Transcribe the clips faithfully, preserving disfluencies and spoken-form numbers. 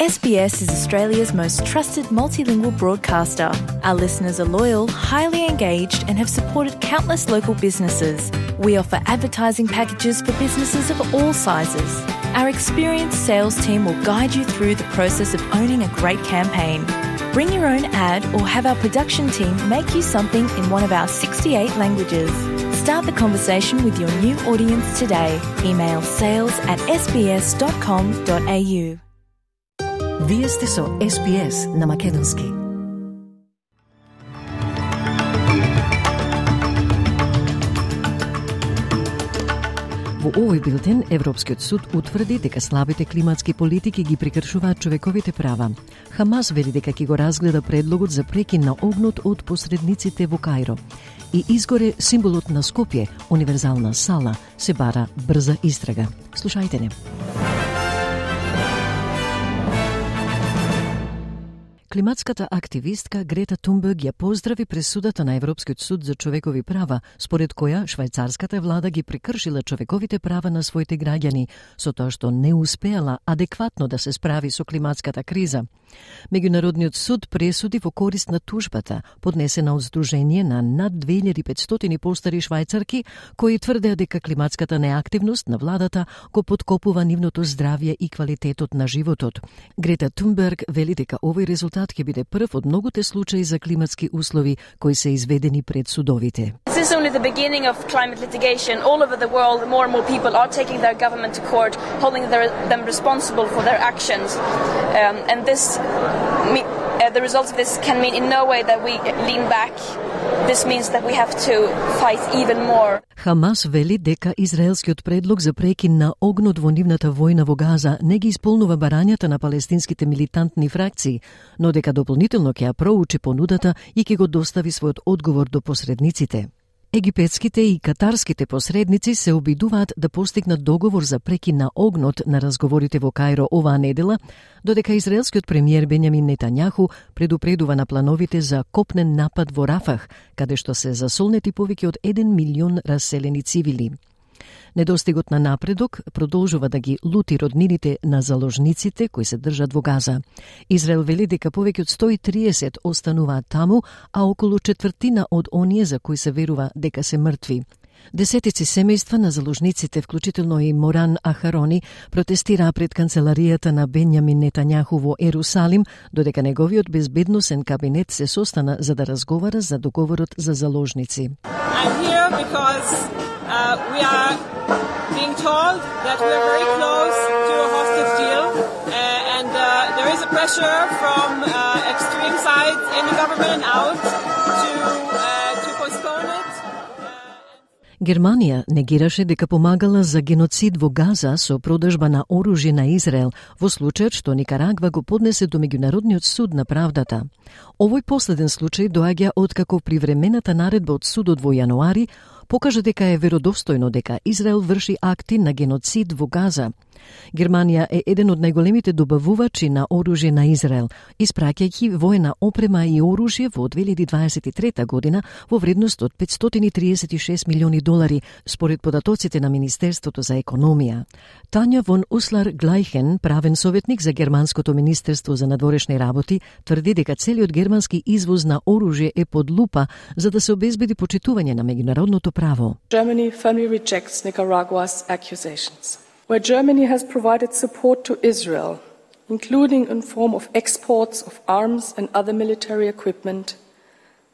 S B S is Australia's most trusted multilingual broadcaster. Our listeners are loyal, highly engaged, and have supported countless local businesses. We offer advertising packages for businesses of all sizes. Our experienced sales team will guide you through the process of owning a great campaign. Bring your own ad or have our production team make you something in one of our sixty-eight languages. Start the conversation with your new audience today. Email sales at s b s dot com dot a u. Вие сте со S B S на македонски. Во овој билтен Европскиот суд утврди дека слабите климатски политики ги прекршуваат човековите права. Хамас вели дека ќе го разгледа предлогот за прекин на огнот од посредниците во Кајро. И изгоре символот на Скопје, универзална сала, се бара брза истрага. Слушајте не. Климатската активистка Грета Тунберг ја поздрави пресудата на Европскиот суд за човекови права, според која швајцарската влада ги прекршила човековите права на своите граѓани, со тоа што не успеала адекватно да се справи со климатската криза. Меѓународниот суд пресуди во корист на тужбата, поднесена од Сдружение на над две илјади и петстотини постари швајцарки, кои тврдеа дека климатската неактивност на владата го подкопува нивното здравје и квалитетот на животот. Грета Тунберг вели дека овој резултат ќе биде прв од многуте случаи за климатски услови кои се изведени пред судовите. This is only the beginning of climate litigation. All over the world, more and more people are taking their government to court, holding their, them responsible for their actions. Um, and this, me, uh, the results of this can mean in no way that we lean back. This means that we have to fight even more. Хамас вели дека израелскиот предлог за прекин на огнот во нивната војна во Газа не ги исполнува барањата на палестинските милитантни фракции, но дека дополнително ќе ја проучи понудата и ќе го достави својот одговор до посредниците. Египетските и катарските посредници се обидуваат да постигнат договор за прекин на огнот на разговорите во Кајро оваа недела, додека израелскиот премиер Бенјамин Нетањаху предупредува на плановите за копнен напад во Рафах, каде што се засолнети повеќе од еден милион раселени цивили. Недостигот на напредок продолжува да ги лути роднините на заложниците кои се држат во Газа. Израел вели дека повеќе од сто и триесет остануваат таму, а околу четвртина од оние за кои се верува дека се мртви. Десетици семејства на заложниците, вклучително и Моран Ахарони, протестираа пред канцеларијата на Бенјамин Нетањаху во Ерусалим, додека неговиот безбедносен кабинет се состана за да разговара за договорот за заложници. I'm here because uh, we are being told that we are very close to a hostage deal, uh, and uh, there is a pressure from uh, extreme sides in the government and out to uh, to postpone it. Германија негираше дека помагала за геноцид во Газа со продажба на оружје на Израел во случајот што Никарагва го поднесе до Меѓународниот суд на правдата. Овој последен случај доаѓа откако привремената наредба од судот во јануари покажа дека е веродостојно дека Израел врши акти на геноцид во Газа. Германија е еден од најголемите добавувачи на оружје на Израел, испраќајќи воена опрема и оружје во две илјади дваесет и трета година во вредност од петстотини триесет и шест милиони долари, според податоците на Министерството за економија. Тања вон Услар Глајхен, правен советник за Германското Министерство за надворешни работи, тврди дека целиот германски извоз на оружје е под лупа за да се обезбеди почитување на меѓународното право. Germany firmly rejects Nicaragua's accusations. Where Germany has provided support to Israel, including in form of exports of arms and other military equipment,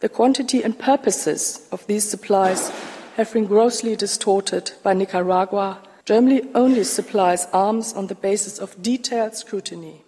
the quantity and purposes of these supplies have been grossly distorted by Nicaragua. Germany only supplies arms on the basis of detailed scrutiny.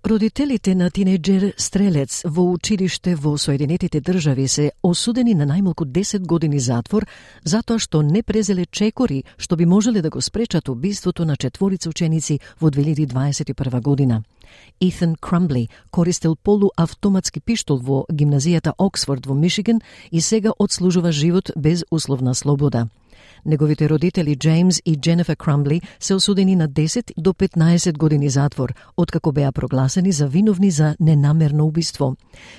Родителите на тинејџер стрелец во училиште во Соединетите држави се осудени на најмалку десет години затвор затоа што не презеле чекори што би можеле да го спречат убиството на четворица ученици во две илјади дваесет и прва година. Етhan Crumbly користел полуавтоматски пиштол во гимназијата Оксфорд во Мишиган и сега одслужува живот без условна слобода. Неговите родители Джеймс и Дженефер Крамбли се осудени на десет до петнаесет години затвор, откако беа прогласени за виновни за ненамерно убиство.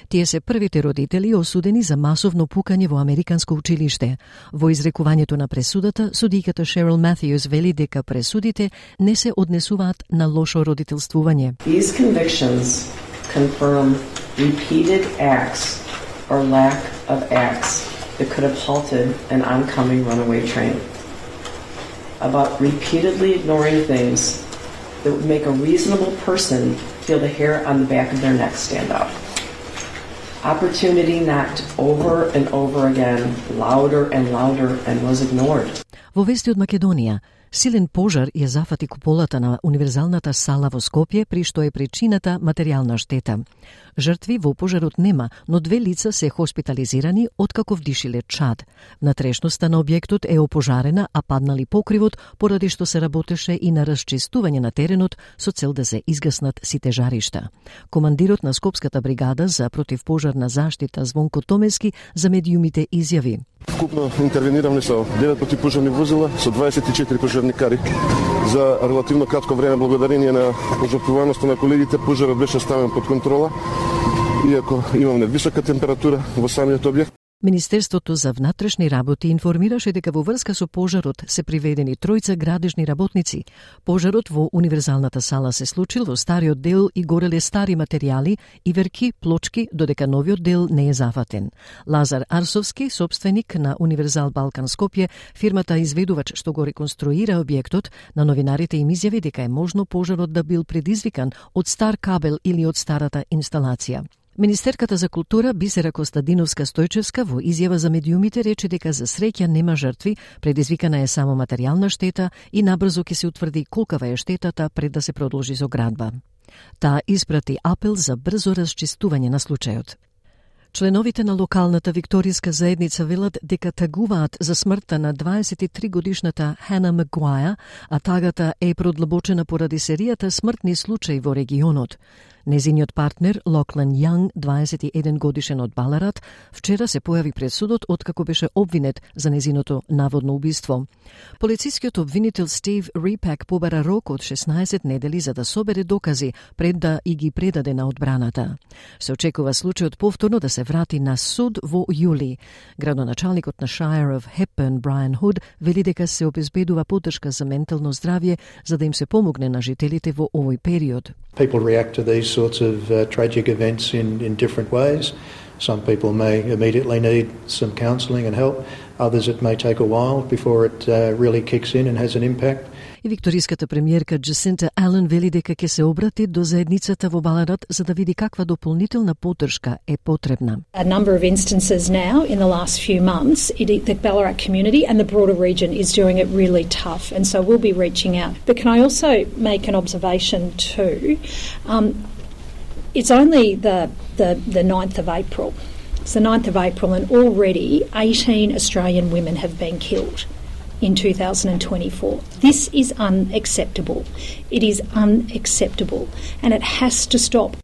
Тие се првите родители осудени за масовно пукање во американско училиште. Во изрекувањето на пресудата, судиката Шерил Матјус вели дека пресудите не се однесуваат на лошо родителствување. These convictions confirm repeated acts or lack of acts that could have halted an oncoming runaway train. About repeatedly ignoring things that would make a reasonable person feel the hair on the back of their neck stand up. Opportunity knocked over and over again, louder and louder, and was ignored. Во вести од Македонија, силен пожар ја зафати куполата на универзалната сала во Скопје, при што е причината материјална штета. Жртви во пожарот нема, но две лица се хоспитализирани откако вдишиле чад. Внатрешноста на објектот е опожарена, а паднали покривот поради што се работеше и на расчистување на теренот со цел да се изгаснат сите жаришта. Командирот на Скопската бригада за противпожарна заштита Звонко Томески за медиумите изјави: Вкупно интервениравме со девет противпожарни возила, со дваесет и четири пожарникари. За релативно кратко време, благодарение на пожртвуваноста на колегите, пожарот беше ставен под контрола, иако имаме висока температура во самиот објект. Министерството за внатрешни работи информираше дека во врска со пожарот се приведени тројца градежни работници. Пожарот во универзалната сала се случил во стариот дел и гореле стари материјали и верки, плочки, додека новиот дел не е зафатен. Лазар Арсовски, собственик на Универзал Балкан Скопје, фирмата изведувач што го реконструира објектот, на новинарите им изјави дека е можно пожарот да бил предизвикан од стар кабел или од старата инсталација. Министерката за култура Бисера Костадиновска-Стојчевска во изјава за медиумите рече дека за среќа нема жртви, предизвикана е само материјална штета и набрзо ќе се утврди колкава е штетата пред да се продолжи со градба. Таа испрати апел за брзо расчистување на случајот. Членовите на локалната викторијска заедница велат дека тагуваат за смртта на дваесет и три годишната Хана Магуаја, а тагата е продлабочена поради серијата смртни случаи во регионот. Незиниот партнер, Локлен Јанг, дваесет и еден годишен од Баларат, вчера се појави пред судот откако беше обвинет за незиното наводно убиство. Полицискиот обвинител Стив Рипак побара рок од шеснаесет недели за да собере докази пред да и ги предаде на одбраната. Се очекува случајот повторно да се врати на суд во јули. Градоначалникот на Shire of Hepburn, Brian Hood, вели дека се обезбедува поддршка за ментално здравје за да им се помогне на жителите во овој период. People react to these sorts of uh, tragic events in, in different ways. Some people may immediately need some counselling and help. Others it may take a while before it uh, really kicks in and has an impact. И викториската премиерка Джасинта Ален вели дека ќе се обрати до заедницата во Баларат за да види каква дополнителна поддршка е потребна. A number of instances now in the last few months, it, the Ballarat community and the broader region is doing it really tough, and so we'll be reaching out. But can I also make an observation too? Um, it's only the, the, the ninth of April. It's the ninth of April and already eighteen Australian women have been killed in two thousand twenty-four. This is unacceptable. It is unacceptable and it has to stop.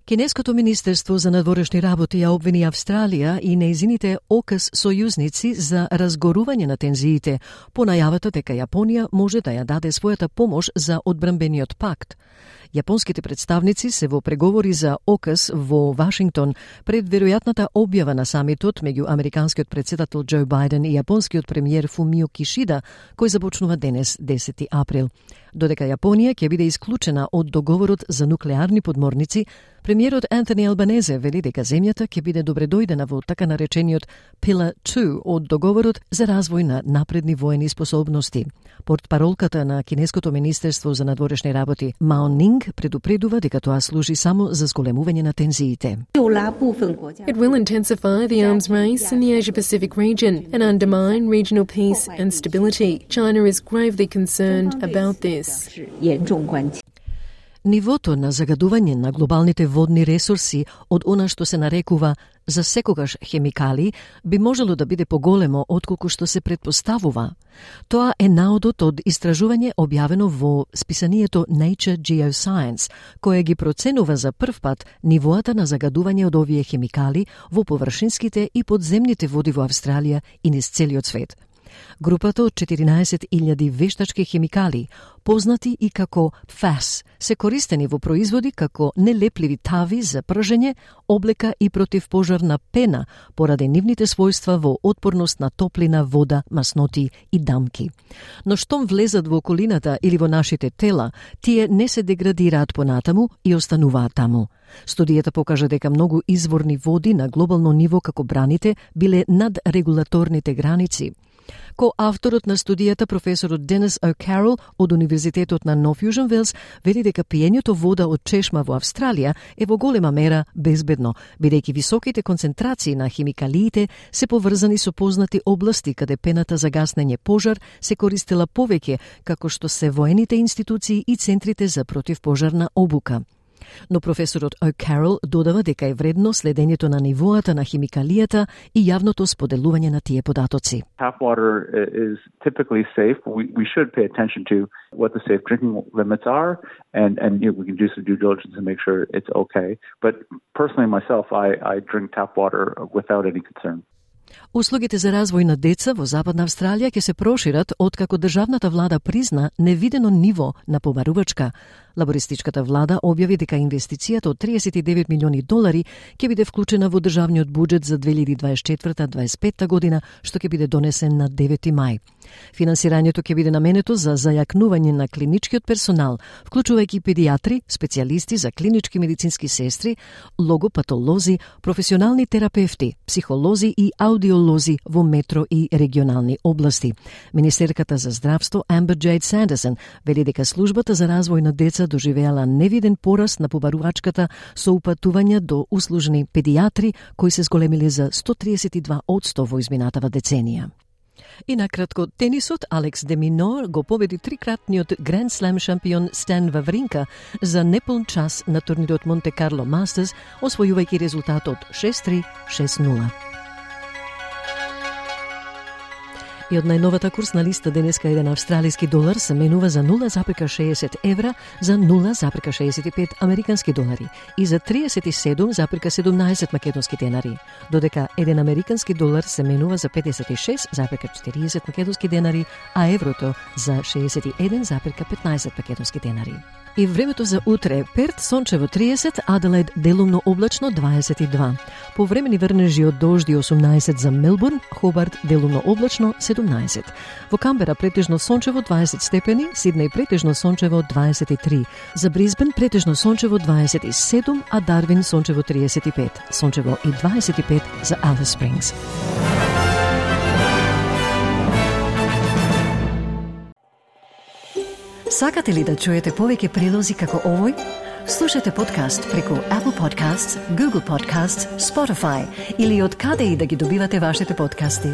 Кинеското министерство за надворешни работи ја обвини Австралија и нејзините ОКС сојузници за разгорување на тензиите по најавата дека Јапонија може да ја даде својата помош за одбранбениот пакт. Јапонските представници се во преговори за ОКС во Вашингтон пред веројатната објава на самитот меѓу американскиот претседател Џо Бајден и јапонскиот премиер Фумио Кишида, кој започнува денес десети април. Додека Јапонија ќе биде исклучена од договорот за нуклеарни подморници, премиерот Антони Албанезе вели дека земјата ќе биде добредојдена во така наречениот Pillar two од договорот за развој на напредни воени способности. Портпаролката на Кинеското министерство за надворешни работи Мао Нинг предупредува дека тоа служи само за зголемување на тензиите. It will intensify the arms race in the Asia-Pacific region and undermine regional peace and stability. China is gravely concerned about this. Нивото на загадување на глобалните водни ресурси од она што се нарекува за секогаш хемикали би можело да биде поголемо отколку што се предпоставува. Тоа е наодот од истражување објавено во списанието Nature Geoscience, кое ги проценува за прв пат нивоата на загадување од овие хемикали во површинските и подземните води во Австралија и низ целиот свет. Групата од четиринаесет илјади вештачки хемикали, познати и како Еф А С, се користени во производи како нелепливи тави за пржење, облека и противпожарна пена поради нивните својства во отпорност на топлина, вода, масноти и дамки. Но штом влезат во околината или во нашите тела, тие не се деградираат понатаму и остануваат таму. Студијата покажа дека многу изворни води на глобално ниво како браните биле над регулаторните граници. Ко авторот на студијата, професорот Денис О'Карол од Универзитетот на Нов Јужен Велс, вели дека пиењето вода од чешма во Австралија е во голема мера безбедно, бидејќи високите концентрации на химикалиите се поврзани со познати области каде пената за гаснење пожар се користела повеќе, како што се воените институции и центрите за противпожарна обука. Но професорот О'Карол додава дека е вредно следењето на нивоата на химикалијата и јавното споделување на тие податоци. Tap water is typically safe. We, we should pay attention to what the safe drinking limits are, and, and you know, we can do some due diligence and make sure it's okay. But personally myself, I, I drink tap water without any concern. Услугите за развој на деца во Западна Австралија ќе се прошират откако државната влада призна невидено ниво на побарувачка. Лабористичката влада објави дека инвестицијата од триесет и девет милиони долари ќе биде вклучена во државниот буџет за две илјади дваесет и четврта до дваесет и петта година, што ќе биде донесен на девети мај. Финансирањето ќе биде наменето за зајакнување на клиничкиот персонал, вклучувајќи педиатри, специјалисти за клинички медицински сестри, логопатолози, професионални терапевти, психолози и аудиолози во метро и регионални области. Министерката за здравство Амбер Джейд Сандерсон вели дека службата за развој на деца доживеала невиден пораст на побарувачката со упатувања до услужни педиатри кои се зголемиле за сто триесет и два одсто во изминатава деценија. И накратко, тенисот Алекс де Минор го победи трикратниот Гранд Слем шампион Стан Вавринка за неполн час на турнирот Монте Карло Мастерс, освојувајќи резултатот шест три шест нула. И од најновата курсна листа денеска еден австралиски долар се менува за нула запирка шеесет евра, за нула запирка шеесет и пет американски долари и за триесет и седум запирка седумнаесет македонски денари, додека еден американски долар се менува за педесет и шест запирка четириесет македонски денари, а еврото за шеесет и еден запирка петнаесет македонски денари. И времето за утре: Перт сончево триесет, Аделаид делумно облачно дваесет и два. Повремени врнежи од дожди осумнаесет за Мелбурн, Хобарт делумно облачно седумнаесет. Во Камбера претежно сончево дваесет степени, Сиднеј претежно сончево дваесет и три. За Брисбен претежно сончево дваесет и седум, а Дарвин сончево триесет и пет. Сончево и дваесет и пет за Алис Спрингс. Сакате ли да чуете повеќе прилози како овој? Слушате подкаст преку Apple Podcasts, Google Podcasts, Spotify или од каде и да ги добивате вашите подкасти.